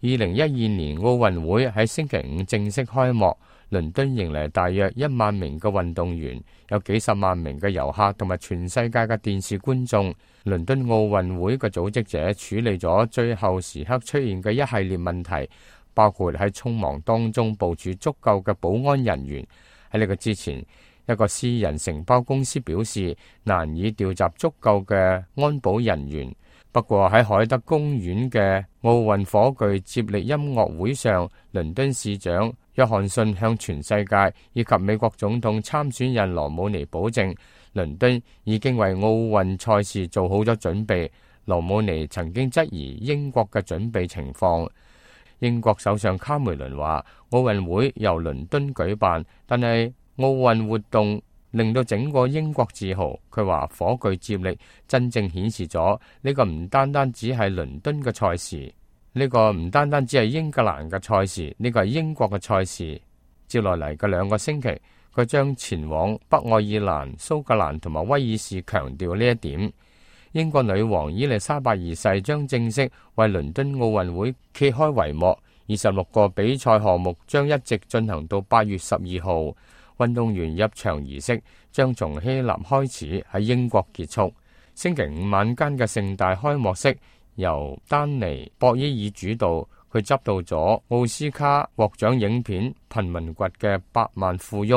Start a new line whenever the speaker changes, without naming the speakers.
2012年奧運會喺星期五正式開幕，倫敦迎嚟大約1萬名嘅運動員，有幾十萬名嘅遊客同埋全世界嘅電視觀眾。倫敦奧運會嘅組織者處理咗最後時刻出現嘅一系列問題，包括喺匆忙當中部署足夠嘅保安人員。喺呢個之前，一個私人承包公司表示難以調集足夠嘅安保人員。不過喺海德公園嘅奧運火炬接力音樂會上，倫敦市長約翰遜向全世界以及美國總統參選人羅姆尼保證，倫敦已經為奧運賽事做好咗準備。羅姆尼曾經質疑英國嘅準備情況。英國首相卡梅倫話，奧運會由倫敦舉辦，但係奧運活動令到整個英國自豪。佢話火炬接力真正顯示咗呢個唔單單只係倫敦嘅賽事，呢個唔單單只係英格蘭嘅賽事，呢個係英國嘅賽事。接落嚟嘅2個星期，佢將前往北愛爾蘭、蘇格蘭同埋威爾士，強調呢一點。英國女王伊麗莎白二世將正式為倫敦奧運會揭開帷幕。26個比賽項目將一直進行到8月12號。運動員入場儀式將從希臘開始，喺英國結束。星期五晚間嘅盛大開幕式由丹尼博伊爾主導，佢執導咗奧斯卡獲獎影片《貧民窟嘅百萬富翁》。